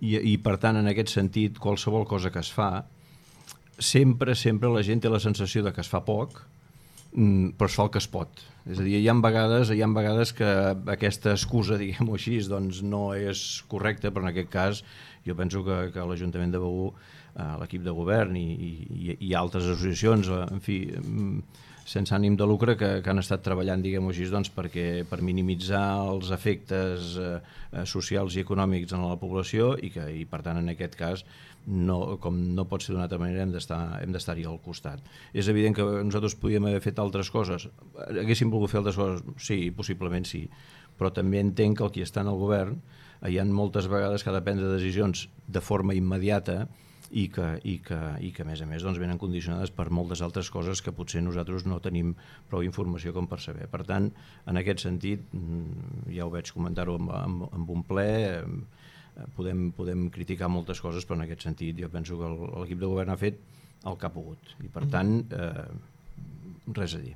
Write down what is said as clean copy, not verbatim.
I per tant, en aquest sentit, qualsevol cosa que es fa, sempre la gent té la sensació de que es fa poc, però es fa el que es pot. És a dir, hi ha vegades que aquesta excusa, diguem-ho així, doncs no és correcta, però en aquest cas jo penso que l'Ajuntament de Begur, l'equip de govern i altres associacions, en fi, sense ànim de lucre, que han estat treballant, diguem-ho així, doncs, per minimitzar els efectes socials i econòmics en la població i per tant, en aquest cas, com no pot ser d'una altra manera, hem d'estar-hi al costat. És evident que nosaltres podíem haver fet altres coses. Haguéssim volgut fer altres coses? Sí, possiblement sí. Però també entenc que el qui està en el govern hi ha moltes vegades que ha de prendre decisions de forma immediata i que a més doncs, venen condicionades per moltes altres coses que potser nosaltres no tenim prou informació com per saber. Per tant, en aquest sentit, ja ho vaig comentar-ho amb un ple, podem criticar moltes coses, però en aquest sentit jo penso que l'equip de govern ha fet el que ha pogut i per tant res a dir.